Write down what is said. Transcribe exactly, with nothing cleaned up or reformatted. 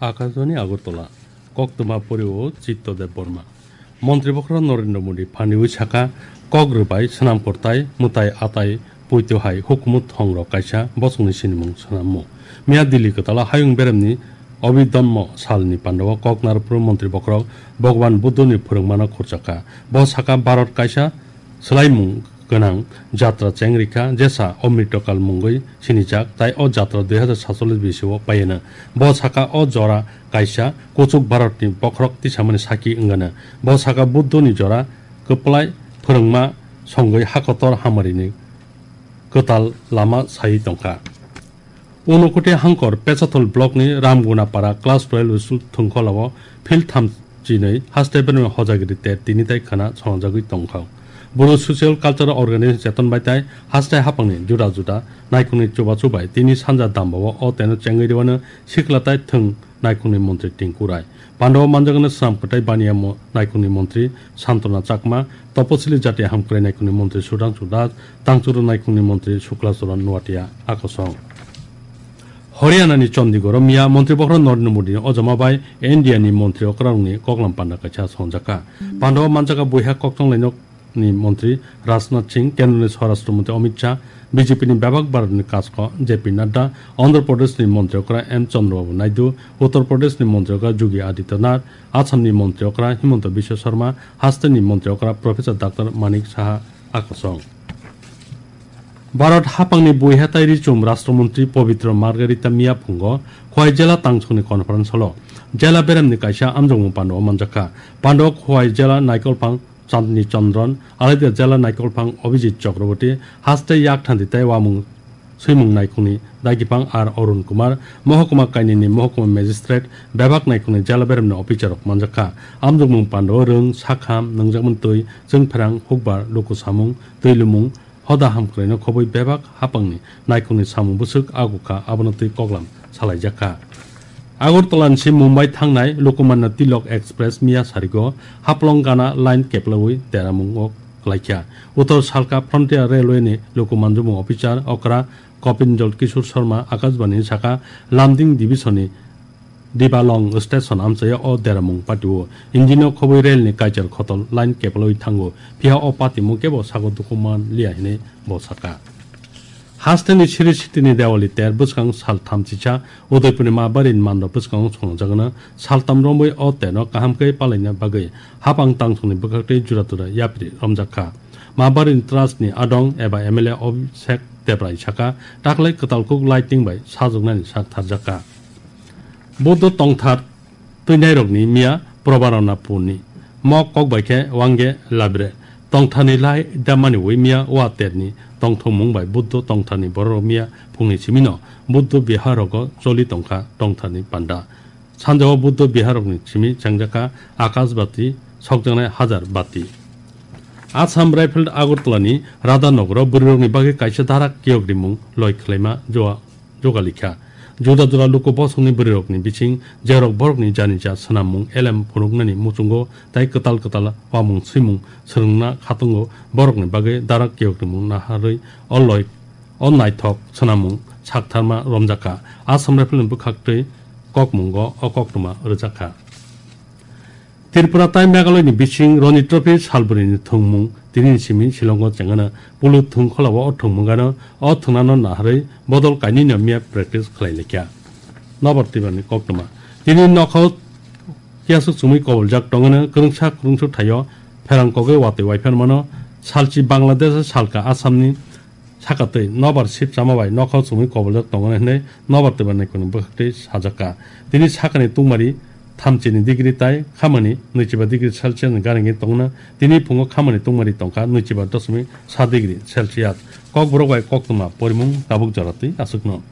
Akashbani Agartala, koktwma pori o Chitto Deb Borma. Montri bokhorok Narendra Modi phanwi saka, kok rwbai swnam kwrwtai mwtai atai puito hai hukumu thongrok kaisa bosongni sinimung swnammo. Miya Delhi kwtala hayung beremni Abhidhamma salni pandao kok narwkphuru montri bokhorok Bhagwan Buddhoni phwrwngmano khurchakha. Bo saka Bharat kaisa swlaimung gwnang jatra chengrikha, jesa Amritokal mungwi sinijak, tai o jatra dui hazar satchollish bisio paiano. Bo saka o jora kaisa kuchuk Bharatni bokhorok tisamani saki wngano. Bo saka Buddhoni jora kwplai phwrwngma songwi hakotor hamarini kwtal lama sai tongkha. Unokoti Hangkor Pechathol blockni Ramgunapara class twelve school thwngkholao field thamchinwi haste berma hojagiri ter tini tai khana songjagwi tongkha. Boro social cultural organization cheton bai tai haste hapangni juda juda naikhungni chubachu bai tini sanja dambao o teno chengwi rwano sikla tai thwng naikhungni montri Tinku Rai. Pandao manjagano swnam kwtai baniya mo-, naikhungni montri Santona Chakma, Toposili Jati Hamkrai naikhungni montri Sudhangshu Das, Tangchuru naikhungni montri Sukla Charan Noatia akosong. Haryanani Chandigarh-o miya montri bokhorok Narendra Modi-ni ojama bai India-ni montri okrarokni koklam panda kaisa songjakha. Pandao manjaka buiha koktwng lainok ni montri Rajnath Singh, Kendroni Swarashtra Montri Amit Shah, B J P ni bebak Bharatni kasko J P Nadda, Andhra Pradesh ni montri okra M Chandrababu Naidu, Uttar Pradesh ni montri okra Yogi Adityanath, Assam ni montri okra Himanta Biswa Sarma, haste ni montri okra Professor Doctor Manik Saha akosong. Bharat hapangni buiha tai richum Rashtra Montri Pabitra Margherita miya phungo Khowai jela tangsongni conference hall-o jela beremni kaisa amjokmung pandao manjakha. Pandao Khowai jela naikolphang Chandni Chandran, Alaida jela naikolphang Abhijit Chakraborty, haste yakthanti tei wamung swimung naikhungni dagipang R Arun Kumar, mohokuma kainwini mohokuma magistrate, bebak naikhungni jela beremni officer rok manjakha. Amjokmung pandao rwng, sakham, nungjakmani twi, chwngpherang, hukbar, luku samung, twi lumung, hoda hamkraino khobwi bebak hapangni naikhungni samung bwswk agukha, abono twi koklam salaijakha. Agartala ni si Mumbai thangnai Lokmanya Tilok Express miya sarigo Haflong Gana line keplaui deramungo klaikha. Uttor Salka Frontier Railway ni luku manjumung officer okra Kopinjol Kishore Sharma Akashbani ni saka Lumding Division ni Dibalong station amchaio o deramung patio. Engine o khobwi rail ni kaichar khotol line keplaui thango. Phiya o patimung kebo sago dukuman liya hinwi bo saka. Hasteni siri sitini Dewali ter bwskang sal thamchisa Udaipurni Mabari ni mando bwskango songjagana saltam romwi o terno kaham khe palaina bagwi hapang tangsongni bwkhaktwi jura jura yapri romjakha. Mabari ni trust ni adong eba M L A Abhishek Debrai saka taklai kwtal kuk lighting bai sajwknani sak tharjakha. Buddho tongthar twinairokni miya Probaranapurni mok kok bai khe wangge labre. Tongtharni lai damani wi miya wa terni tongthokmung bai Buddho tongtharni bororok miya phungni simino Buddho biharogo choli tongkha tongtharni panda. Sanjao Buddho biharokni simi chengjakha akash bati sokjaknai hajar bati. Assam Rifle Agartala ni Radhanagaro bwrwirokni bagwi kaisa darak kiyok rimung loi khlaima joa jogalikha. Juda juda luku bosongni bwrwirokni bising jerok borokni janija swnammung elem phunuknani muchungo tai kwtal kwtal wamung swimung swrwngna khatungo borokni bagwi darak kiyokrimung naharwi o loi o naithok swnammung saktharma romjakha. Assam Rifle ni bwkhaktwi kokmungo o koktwma rwjakha. Tripura tai Meghalaya ni bising Ranji Trophy salbrini thwngmung tini ni simi Shillong o chengano pulu thwngkhola o thwngmung gano o thwngnano naharwi bodol kainwi no miya practice khlai laikha. Nobar Tibrani koktwma tini nokhao kiyasuk chumui koboljak tongano kwrwngsa kwrwngsuk thaio pherang kogwi watwi waiphan mano salchi Bangladesh salka Assam ni Saka twi nobar sip chama bai nokhao chumui koboljak tongo hinwi nobar twibani kunu bwkhaktwi sajakha. Tini sakani tungmari thamchini degree tai khamani nwichiba degree Celsius ni ganigwi tongna. Tini phungo khamani tungmari tongkha nwichiba dosmik sa degree Celsius. Kokborok bai koktwma porimung tabuk jora twi aswkno.